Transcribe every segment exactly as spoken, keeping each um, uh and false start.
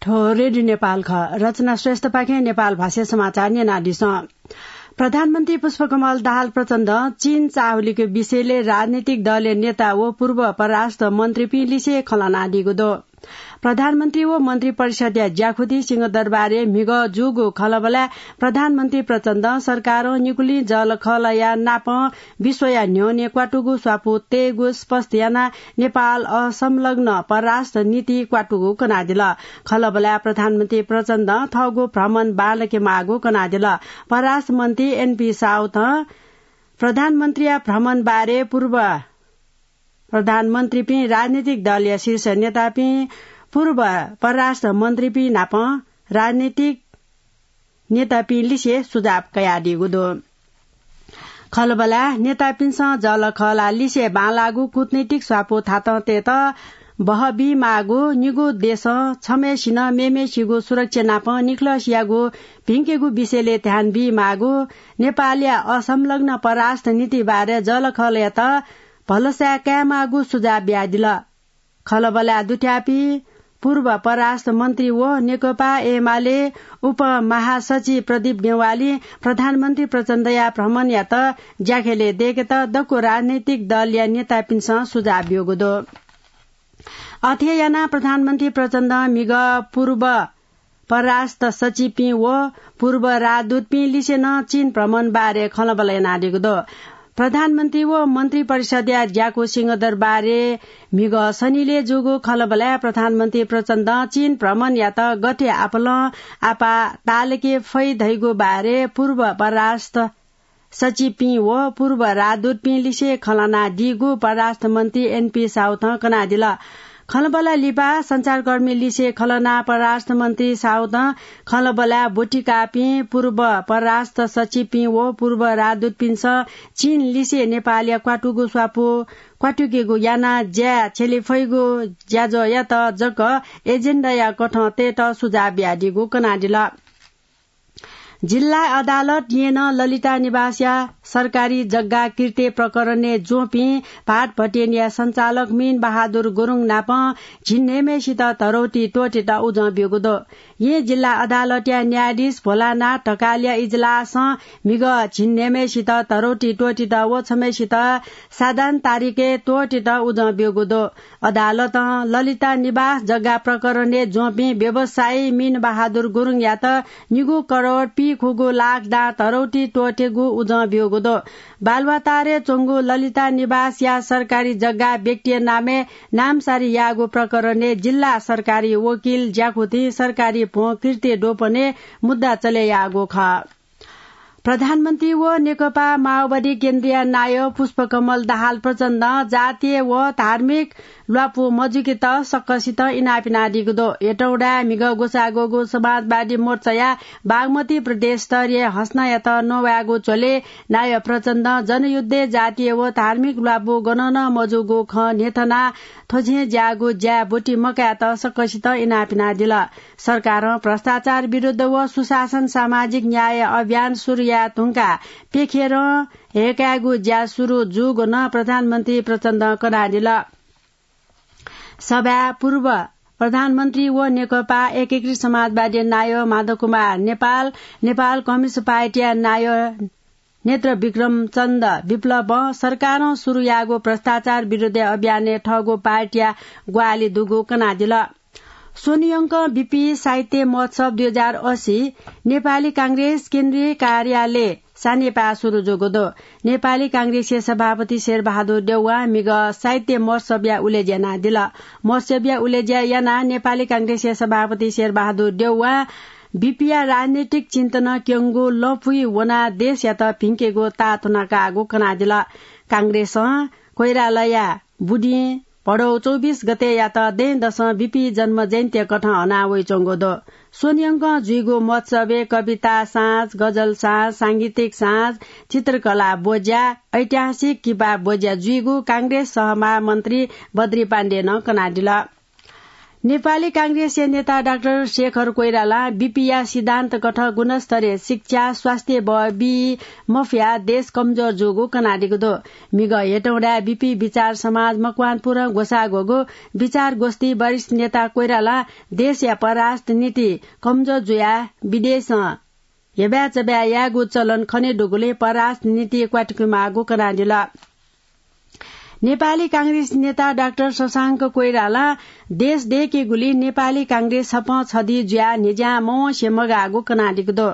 थ्व रेडियो नेपाल खः। रचना श्रेष्ठपाखें नेपाल भाषा समाचार न्यनादिसँ। प्रधानमन्त्री पुष्पकमल दाहाल प्रचण्डं चीन चाःहुलिके विषयले राजनीतिक दलया नेता व पूर्व परराष्ट्र मन्त्रीपिं लिसे खँ ल्हानादीगु दु। प्रधानमन्त्री व मन्त्री परिषदया ज्याखुति सिंहदरबारय् म्हिगः जूगु खँल्हाबल्हाय् प्रधानमन्त्री प्रचण्डं सरकारं निगुलिं जःलाखःलाया नापं विश्वया न्ह्यःने क्वातुगु स्वापू तयेगु स्पष्ट यानाः नेपाल असंलग्न परराष्ट्र नीति क्वातुगु कनादिल। खँल्हाबल्हाय् प्रधानमन्त्री प्रचण्डं थःगु भ्रमण बांलाके माःगु कनादिल। परराष्ट्र मन्त्री एनपी साउथं प्रधानमन्त्रीया भ्रमण बारे पूर्व प्रधानमन्त्रीपिं, राजनीतिक दलया शीर्ष नेतापिं, पूर्व परराष्ट्र मन्त्रीपिं नाप राजनीतिक नेतापिं लिसे सुझाव कयादीगु दु। खँल्हाबल्हाय् नेतापिन्सं जःलाखःला लिसे बांलाःगु कूटनीतिक स्वापू थातं तयेत बहःबीमाःगु, निगू देशं छम्हय्सिनं मेम्हय्सिगु सुरक्षा नाप निखलसियागु भिंकेगु विषयले ध्यान बीमाःगु, नेपालया असंलग्न परराष्ट्र नीति बारे जःलाखःलायात भलसाय् कायेमाःगु सुझाव बियादिल। खँल्हाबल्हाय् दुथ्याःपिं पूर्व परराष्ट्र मन्त्री व नेकपा एमाले उपमहासचिव प्रदीप नेवालीं प्रधानमन्त्री प्रचण्डया भ्रमणयात ज्याखँय् दय्केत दक्व राजनैतिक दलया नेतापिन्सं सुझाव ब्यूगु दु। अथे यानाः प्रधानमन्त्री प्रचण्डं म्हिगः पूर्व परराष्ट्र सचिवपिं व पूर्व राजदूतपिं लिसे नं चीन भ्रमण बारे खँल्हाबल्हा यानादीगु दु। प्रधानमन्त्री व मन्त्री परिषदया ज्याकू सिंहदरबारय् म्हिगः सनिलय् जूगु खँल्हाबल्हाय् प्रधानमन्त्री प्रचण्डं चीन भ्रमणयात गथे आपालं आपाः ताःलाके फइ धइगु बारे पूर्व परराष्ट्र सचिवपिं व पूर्व राजदूतपिं लिसे खँ ल्हानादीगु परराष्ट्र मन्त्री एनपी साउथं कनादिल। खँल्हाबल्हा लिपा सञ्चारकर्मी लिसे खँ ल्हानाः परराष्ट्र मन्त्री साउथं खँल्हाबल्हाय् ब्वति काःपिं पूर्व परराष्ट्र सचिवपिं व पूर्व राजदूतपिन्सं चीन लिसे नेपालया क्वातुगु स्वापू क्वातुकेगु यानाः ज्याय् छ्यले फइगु ज्याझ्वःयात जक एजेन्डाया कथं तयेत सुझाव बियादीगु कनादिल। जिल्ला अदालत येँ नं ललिता निवासया सरकारी जग्गा किर्ते प्रकरणय् ज्वंपिं भाट भट्येनया सञ्चालक मीन बहादुर गुरुङ नाप झिंन्हय्म्हय्सित धरौटी त्वःतेत उजं ब्यूगु दु। येँ जिल्ला अदालतया न्यायाधीश भोलानाथ ढकालया इजलासं म्हिगः झिंन्हय्म्हय्सित धरौटी त्वःतेत व छम्हय्सित साधारण तारिखय् त्वःतेत उजं ब्यूगु दु। अदालतं ललिता निवास जग्गा प्रकरणय् ज्वंपिं व्यवसायी मीन बहादुर गुरुङयात निगू करोड पीखुगू लाख दां धरौटी त्वःतेगु उजं ब्यूगु दु। बालुवाटारय् च्वंगु ललिता निवासया सरकारी जग्गा व्यक्तिया नामय् नामसारी याःगु प्रकरणय् जिल्ला सरकारी वकिल ज्याखुतिं सरकारी भ्वं किर्ते द्वपनय् मुद्दा चले याःगु खः। प्रधानमन्त्री व नेकपा माओवादी केन्द्रीय नायः पुष्पकमल दाहाल प्रचण्डं जातीय व धार्मिक ल्वापु मजुकेत सकसितं इनाप यानादीगु दु। हेटौँडाय् म्हिगः ग्वसाः ग्वःगु समाजवादी मोर्चाया बागमती प्रदेश स्तरीय हसनायात नवायेगु झ्वलय् नायः प्रचण्डं जनयुद्धय् जातीय व धार्मिक ल्वापु गनं नं मजूगु खँ न्ह्यथनाः थ्व छेँय् ज्याःगु ज्याय् ब्वति मकायेत सकसितं इनाप यानादिल। सरकारं भ्रष्टाचार विरुद्ध व सुशासन सामाजिक न्याय अभियान सुरु याये धुंकाः प्यखेरं हय्कायेगु ज्या सुरु जूगु नं प्रधानमन्त्री प्रचण्डं कनादिल। सभाय् पूर्व प्रधानमन्त्री व नेकपा एकीकृत समाजवादी नायः माधव कुमार नेपाल, नेपाल कम्युनिस्ट पार्टीया नायः नेत्र विक्रम चन्द विप्लवं सरकारं सुरु याःगु भ्रष्टाचार विरुद्ध अभियानय् थःगु पार्टीया ग्वाहालि दुगु कनादिल। स्वन्हुयंकं बीपी साहित्य महोत्सव दुई हजार अस्सी नेपाली कांग्रेस केन्द्रीय कार्यालय सानेपाय् सुरु जूगु दु। नेपाली कांग्रेसया सभापति शेरबहादुर देउवां म्हिगः साहित्य महोत्सवया उलेज्या यानादिल। महोत्सवया उलेज्या यानाः नेपाली कांग्रेसया सभापति शेरबहादुर देउवां बीपीया राजनैतिक चिन्तनं क्यंगु लँपुइ वनाः देशयात भिंकेगु ताःतुना काःगु कनादिल। कांग्रेसं कोइरालाया बुदिं भदौ चौबिस गतेयात दँय्‌दसं बीपी जन्म जयन्तीया कथं हना वइच्वंगु दु। स्वन्हुयंकं जुइगु महोत्सवय् कविता साँझ, गजल साँझ, सांगीतिक साँझ, चित्रकला ब्वज्या, ऐतिहासिक किपा ब्वज्या जुइगु कांग्रेस सहमहामन्त्री बद्री पाण्डेनं कनादिल। नेपाली कांग्रेसया नेता डाक्टर शेखर कोइरालां बीपीया सिद्धान्त कथं गुणस्तरीय शिक्षा, स्वास्थ्य बी मफया देश कमजोर जूगु कनादीगु दु। मिगः हेटौँडाय् बीपी विचार समाज मकवानपुरं ग्वसाः ग्वःगु विचार गोष्ठी वरिष्ठ नेता कोइरालां देशया परराष्ट्र नीति कमजोर जुयाः विदेशं हेबाय् चबाय् यायेगु चलन खने दुगुलिं परराष्ट्र नीति क्वातुकेमाःगु कनादिल। नेपाली कांग्रेस नेता डाक्टर शशांक कोइरालां देश दय्‌केगुलिं नेपाली कांग्रेस छपं छधी जुयाः न्हिज्यां मवंसे मगाःगु कनादीगु दु।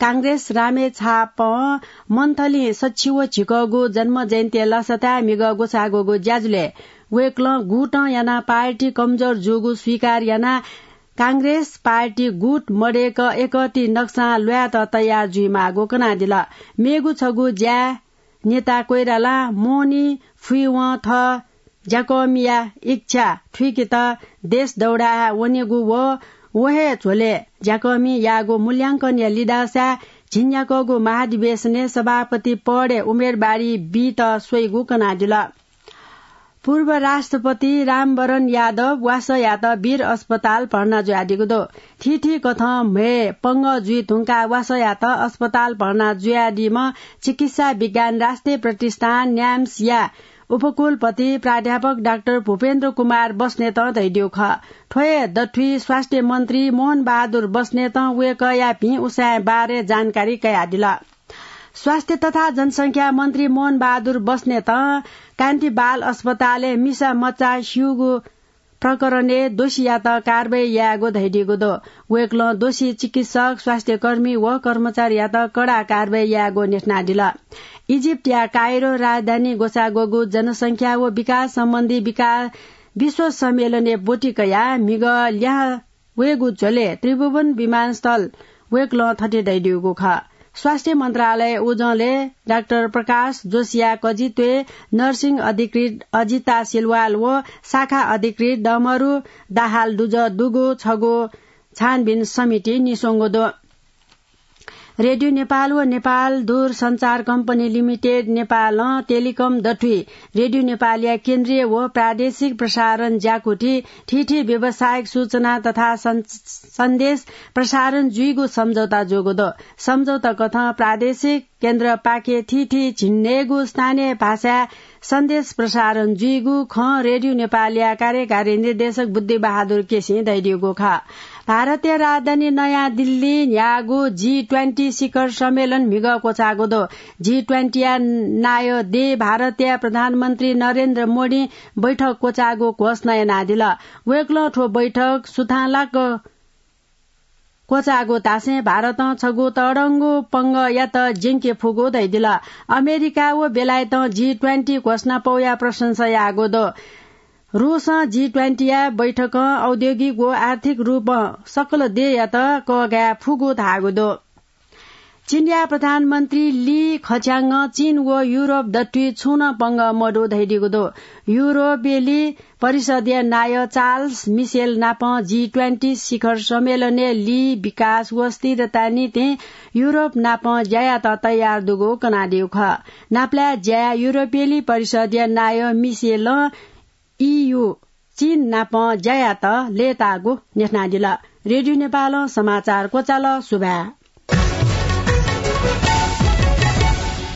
कांग्रेस रामेछापं मन्थलिं सछि व झिकःगु जन्म जयन्ती लसताय् मिगः ग्वसाः ग्वःगु ज्याझ्वलय् वय्‌कलं गुटं यानाः पार्टी कमजोर जूगु स्वीकार यानाः कांग्रेस पार्टी गुट मदय्‌क एकति नक्सां ल्वायेत तयार जुइमाःगु कनादिल। मेगु छगू ज्याय् नेता कोइरालां मोहनी फुइवं थः ज्याकःमिया इच्छा थुइकेत देश दौडाय् वनेगु व व हे झ्वलय् ज्याकःमि याःगु मूल्यांकनया लिधंसाय् झिंन्याक्वःगु महाधिवेशनय् सभापति पदय् उम्मेदवारी बीत स्वइगु कनादिल। पूर्व राष्ट्रपति रामवरण यादव वासः यात वीर अस्पताल भर्ना जुयादीगु दु। थीथी कथं म्हय् पंगः जुइ धुंकाः वासः यात अस्पताल भर्ना जुयादीम्ह चिकित्सा विज्ञान राष्ट्रिय प्रतिष्ठान न्याम्सया उपकुलपति प्राध्यापक डाक्टर भूपेन्द्र कुमार बस्नेतं धयादीगु खः। थ्व हे दथुइ स्वास्थ्य मन्त्री मोहन बहादुर बस्नेतं वय्‌कःया भिं उसाँय् बारे जानकारी कयादिल। स्वास्थ्य तथा जनसंख्या मन्त्री मोहन बहादुर बस्नेतं कान्ति बाल अस्पतालय् मिसा मचा स्यूगु प्रकरणय् दोषीयात कारवाही यायेगु धयादीगु दु। वय्‌कलं दोषी चिकित्सक, स्वास्थ्यकर्मी व कर्मचारीयात कडा कारवाही यायेगु न्ह्यथनादिल। इजिप्टया काइरो राजधानी ग्वसाः ग्वःगु जनसंख्या व विकास सम्बन्धी विका-, विश्व सम्मेलनय् ब्वति कयाः म्हिगः ल्याहां वयेगु झ्वलय् त्रिभुवन विमानस्थल वय्‌कलं थथे धयादीगु खः। स्वास्थ्य मन्त्रालय उजंलय् डाक्टर प्रकाश जोशीया कजित्वय् नर्सिङ अधिकृत अजिता सिलवाल व शाखा अधिकृत डमरु दाहाल दुजः दुगु छगू छानबिन समिति निस्वंगु दु। रेडियो नेपाल व नेपाल दूरसञ्चार कम्पनी लिमिटेड नेपालं टेलिकम दथुइ रेडियो नेपालया केन्द्रीय व प्रादेशिक प्रसारण ज्याकुथि थीथी व्यावसायिक सूचना तथा सं-, सन्देश प्रसारण जुइगु सम्झौता जूगु दु। सम्झौता कथं प्रादेशिक केन्द्रपाखें थीथी झिंन्हय्‌गू स्थानीय भाषाय् सन्देश प्रसारण जुइगु खँ रेडियो नेपालया कार्यकारी निर्देशक बुद्धिबहादुर केसीं धयादीगु खः। भारतया राजधानी नयाँ दिल्लीइ न्ह्याःगु जी ट्वेन्टी शिखर सम्मेलन म्हिगः क्वचाःगु दु। जी ट्वेन्टीया नायः देय् भारतया प्रधानमन्त्री नरेन्द्र मोदीं बैठक क्वचाःगु घोषणा यानादिल। वय्‌कलं थ्व बैठक सुथांलाक क्वचाःगु धासें भारतं छगू तःधंगु पंगःयात ज्यंके फुगु धयादिल। अमेरिका व बेलायतं जी ट्वेन्टी घोषणापौया प्रशंसा याःगु दु। रूसं जी ट्वेन्टीया बैठकं औद्योगिक व आर्थिक रूपं सकल देय्‌यात कःघाये फुगु धाःगु दु। चीनया प्रधानमन्त्री ली खच्याङं चीन व युरोप दथुइ छुं नं पंगः मदु धयादीगु दु। युरोपेली परिषदया नायः चार्ल्स मिसेल नाप जी ट्वेन्टी शिखर सम्मेलनय् ली विकास व स्थिरता निंतिं युरोप नाप ज्या यायेत तयार दुगु कनादीगु खः। नापलाये ज्या याये युरोपेली परिषदया नायः मिसेलं ईयू चीन नाप ज्या यायेत लय्‌ताःगु न्ह्यथनादिल। रेडियो नेपालं समाचार क्वचाल। सुभाय्।